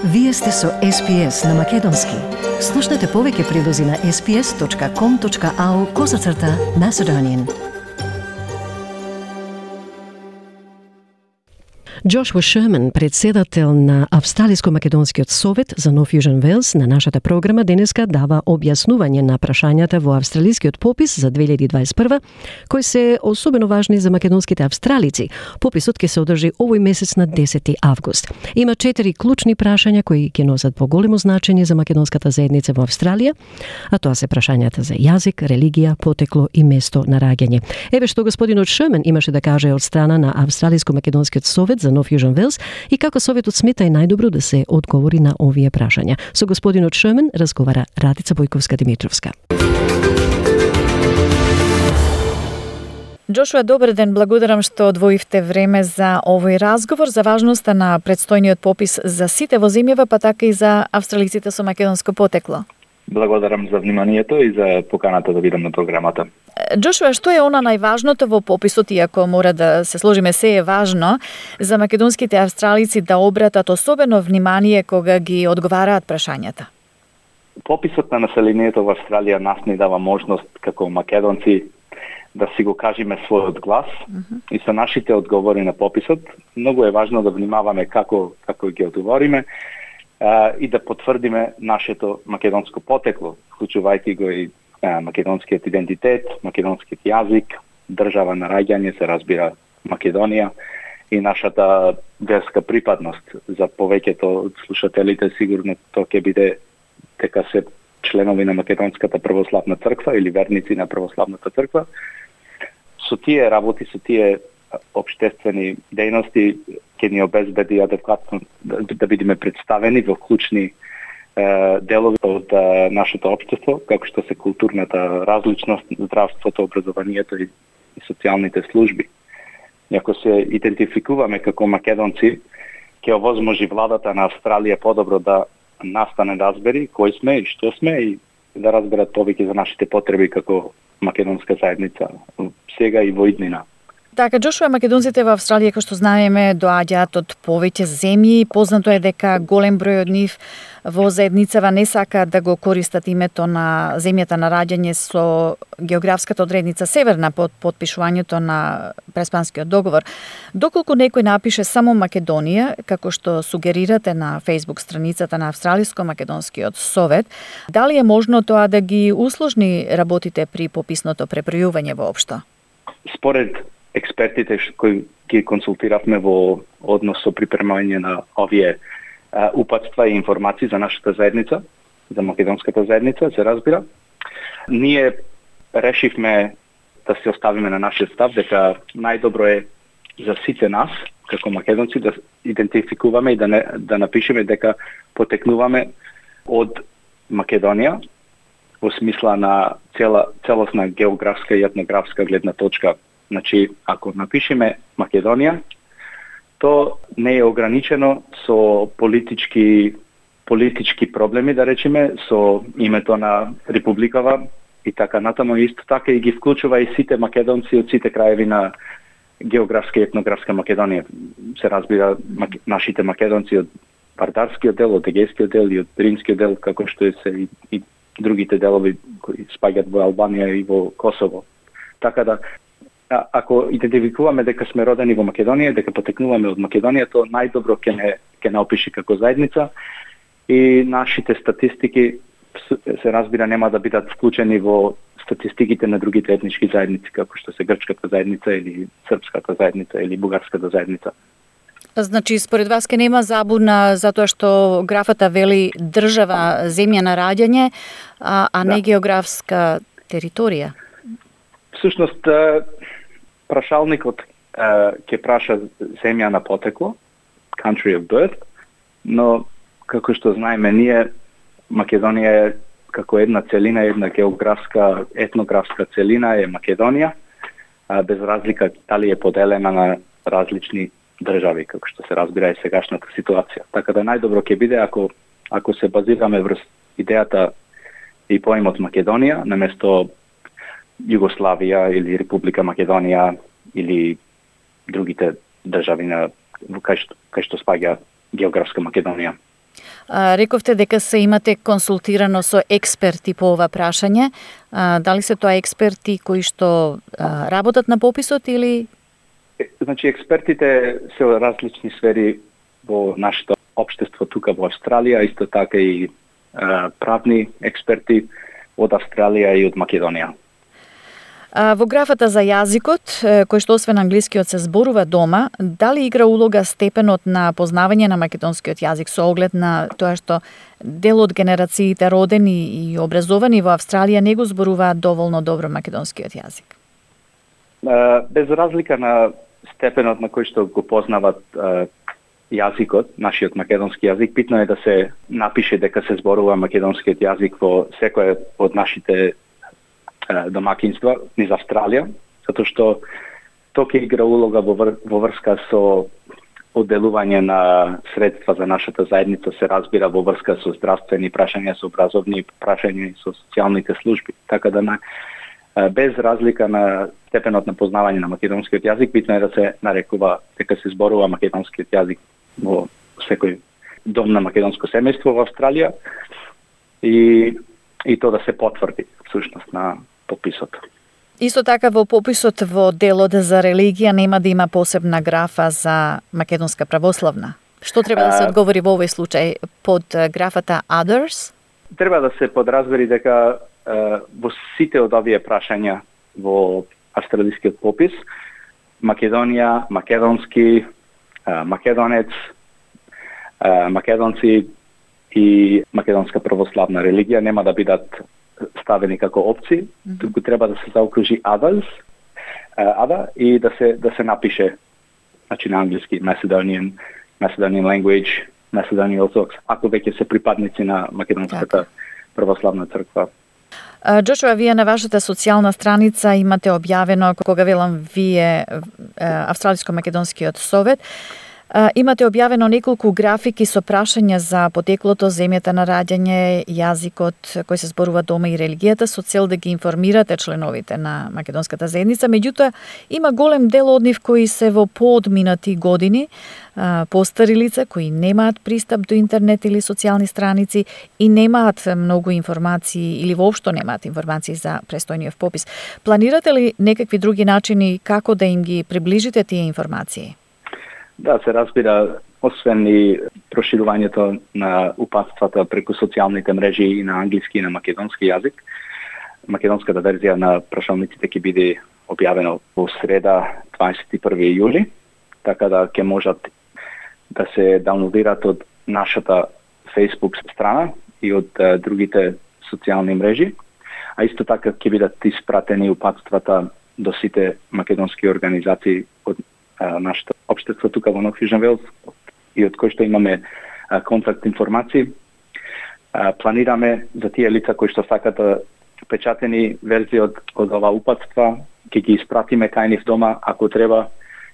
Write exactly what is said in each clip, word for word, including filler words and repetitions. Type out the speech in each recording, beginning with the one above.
Вие сте со Ес Пи Ес на Македонски. Слушнете повеќе прилози на ес пи ес точка ком точка ау козацрта Macedonian. Джошуа Шерман, председател на Австралиско-македонскиот совет за Нов Јужен Велс, на нашата програма денеска дава објаснување на прашањата во австралискиот попис за две илјади дваесет и прва, кои се особено важни за македонските австралици. Пописот ќе се одржи овој месец на десети август. Има четири клучни прашања кои ќе носат поголемо значење за македонската заедница во Австралија, а тоа се прашањата за јазик, религија, потекло и место на раѓање. Еве што господинот Шерман имаше да каже од страна на Австралиско-македонскиот совет за Нов Јужен Велс и како советот смета е најдобро да се одговори на овие прашања. Со господинот Шерман разговара Радица Бојковска-Димитровска. Джошуа, добар ден, благодарам што одвоивте време за овој разговор, за важноста на предстојниот попис за сите во земјава, па така и за австралиците со македонско потекло. Благодарам за вниманието и за поканата да бидам на програмата. Джошуа, што е она најважното во пописот, иако мора да се сложиме се е важно, за македонските австралици да обратат особено внимание кога ги одговараат прашањата? Пописот на населението во Австралија нас ни дава можност како македонци да си го кажеме својот глас uh-huh. и со нашите одговори на пописот многу е важно да внимаваме како како ги одговориме а, и да потврдиме нашето македонско потекло, вклучувајќи го и а, македонскиот идентитет, македонскиот јазик, држава на раѓање, се разбира Македонија и нашата верска припадност. За повеќето од слушателите сигурно тоа ќе биде дека се членови на Македонската православна црква или верници на православната црква. Со тие работи, со тие општествени дејности ќе ни обезбеди адекватно да, да бидеме представени во клучни е, делови од е, нашето општество, како што се културната различност, здравството, образованието и, и социјалните служби. И ако се идентификуваме како македонци, ќе овозможи владата на Австралија подобро да настане разбери кои сме и што сме и да разберат повеќе за нашите потреби како македонска заедница сега и во иднина. Така, Джошуа, македонците во Австралија, како што знаеме, доаѓаат од повеќе земји. Познато е дека голем број од нив во заедницава не сакаат да го користат името на земјата на раѓање со географската одредница северна под потпишувањето на Преспанскиот договор. Доколку некој напише само Македонија, како што сугерирате на Facebook страницата на Австралиско-македонскиот совет, дали е можно тоа да ги усложни работите при пописното пребројување воопшто? Според експертите кои ги консултиравме во однос со припремање на овие а, упатства и информации за нашата заедница, за македонската заедница, се разбира, ние решивме да се оставиме на нашиот став дека најдобро е за сите нас како македонци да идентификуваме и да не, да напишеме дека потекнуваме од Македонија во смисла на цела целосна географска и етнографска гледна точка. Значи, ако напишеме Македонија, то не е ограничено со политички политички проблеми, да речеме, со името на републикава и така натаму, исто така и ги вклучува и сите македонци од сите краеви на географска и етнографска Македонија. Се разбира нашите македонци од Вардарскиот дел, од Егејскиот дел и од Римскиот дел, како што е се и, и другите делови кои спаѓаат во Албанија и во Косово. Така да, а, ако идентификуваме дека сме родени во Македонија, дека потекнуваме од Македонија, то најдобро ќе не ќе не опиши како заедница и нашите статистики се разбира нема да бидат вклучени во статистиките на другите етнички заедници, како што се грчката заедница или српската заедница или бугарската заедница. Значи, според вас ке нема забуна затоа што графата вели држава, земја на раѓање, а, а не да. Географска територија? Всушност, прашалникот ќе праша земја на потекло, country of birth, но како што знаеме ние, Македонија е како една целина, една географска, етнографска целина е Македонија, без разлика дали е поделена на различни држави, како што се разбира и сегашната ситуација. Така да најдобро ќе биде ако ако се базираме врз идејата и поимот Македонија, наместо Југославија или Република Македонија или другите држави на кај што, кај што спаѓа географска Македонија. А, рековте дека се имате консултирано со експерти по ова прашање. А, дали се тоа експерти кои што а, работат на пописот или? Значи, експертите се од различни сфери во нашето општество тука во Австралија, исто така и а, правни експерти од Австралија и од Македонија. А, во графата за јазикот, кој што освен англискиот се зборува дома, дали игра улога степенот на познавање на македонскиот јазик со оглед на тоа што дел од генерациите родени и образовани во Австралија не го зборуваат доволно добро македонскиот јазик? А, без разлика на степенот на кој што го познават а, јазикот, нашиот македонски јазик, битно е да се напише дека се зборува македонскиот јазик во секој од нашите домакинства низ Австралија, затоа што тоа ќе игра улога во, вр, во врска со одделување на средства за нашата заедница, се разбира во врска со здравствени прашања, со образовни прашања и со социјалните служби. Така да на, без разлика на степенот на познавање на македонскиот јазик, битно е да се нарекува дека се зборува македонскиот јазик во секој дом на македонско семејство во Австралија и, и тоа да се потврди всушност на пописот. Исто така во пописот во делот за религија нема да има посебна графа за македонска православна. Што треба да се одговори во овој случај под графата Others? Треба да се подразбери дека во сите од овие прашања во австралискиот попис, Македонија, македонски, македонец, македонци и македонска православна религија нема да бидат ставени како опции, mm-hmm. туку треба да се заокружи others, other и да се да се напише, значи на англиски Macedonian, Macedonian language, Macedonian Orthodox, ако веќе се припадници на македонската православна црква. Джошуа, вие на вашата социјална страница имате објавено, кога велам вие, Австралиско-македонскиот совет, имате објавено неколку графики со прашања за потеклото, земјата на раѓање, јазикот кој се зборува дома и религијата, со цел да ги информирате членовите на македонската заедница. Меѓутоа, има голем дел од нив кои се во поодминати години, постари лица кои немаат пристап до интернет или социјални страници и немаат многу информации или воопшто немаат информации за престојниот попис. Планирате ли некакви други начини како да им ги приближите тие информации? Да, се разбира, освен и проширувањето на упатствата преку социјалните мрежи и на англиски и на македонски јазик, македонската верзија на прашалниците ќе биде објавено во среда дваесет и први јули, така да ќе можат да се даунлодираат од нашата Facebook страна и од uh, другите социјални мрежи, а исто така ќе бидат испратени упатствата до сите македонски организации од uh, нашата општество тука во Нов Јужен Велс и од кој што имаме uh, контакт информации. Uh, планираме за тие лица кои што сакат печатени верзии од, од ова упатства, ќе ги испратиме кај нив дома ако треба.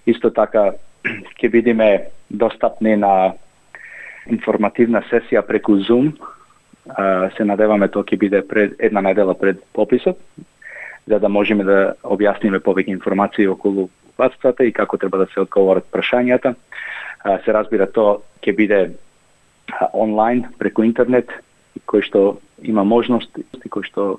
Исто така ќе бидеме достапни на информативна сесија преку Zoom. Uh, се надеваме тоа ќе биде пред една недела пред пописот, за да можеме да објасниме повеќе информации околу упатствата и како треба да се одговорат прашањата. Uh, се разбира, тоа ќе биде uh, онлайн преку интернет, кој што има можност и кој што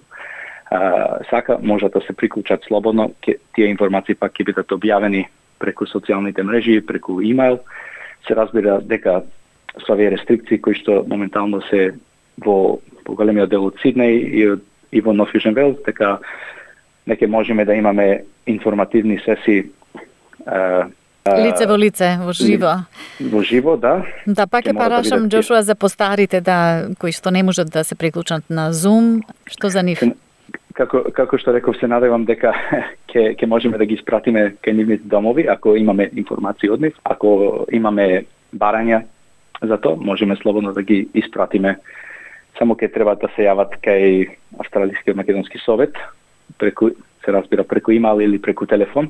uh, сака може да се приклучат слободно. Ке, тие информации пак ќе бидат објавени преку социјалните мрежи, преку имејл. Се разбира дека со овие рестрикции кои што моментално се во поголемиот дел од Сиднеј и, и во Нов Јужен Велс, дека неќе можеме да имаме информативни сесии uh, лице во лице, во живо. Во живо, да. Да, пак е парашам, да Джошуа, за постарите, да, кои што не можат да се приклучат на Zoom, што за нив? Како, како што реков, се надевам дека ќе ќе можеме да ги испратиме кај нивните домови, ако имаме информации од нив. Ако имаме барања за тоа, можеме слободно да ги испратиме. Само ќе треба да се јават кај Австралискиот македонски совет, преку, се разбира, преку имејл или преку телефон,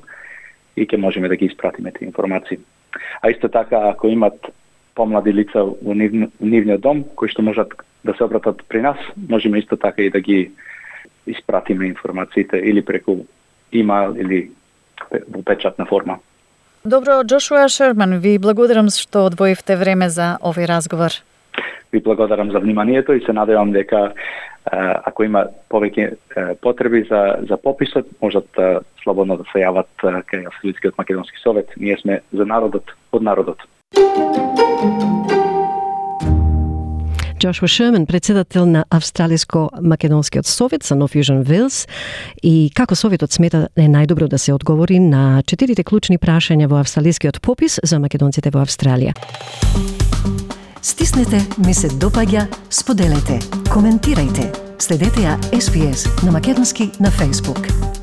и ќе можеме да ги испратиме тие информации. А исто така, ако имат помлади лица во нив, нивниот дом, кои што можат да се обратат при нас, можеме исто така и да ги испратиме информациите или преку имејл или во печатна форма. Добро, Джошуа Шерман, ви благодарам што одвоивте време за овој разговор. Ви благодарам за вниманието и се надевам дека ако има повеќе потреби за за пописот, можат слободно да се јават кај Австралискиот македонски совет. Ние сме за народот, од народот. Джошуа Шерман, председател на Австралиско-македонскиот совет за Нов Јужен Велс, и како советот смета е најдобро да се одговори на четирите клучни прашања во австралискиот попис за македонците во Австралија. Стиснете, ми се допаѓа, споделете, коментирајте. Следете ја Ес Би Ес на македонски на Facebook.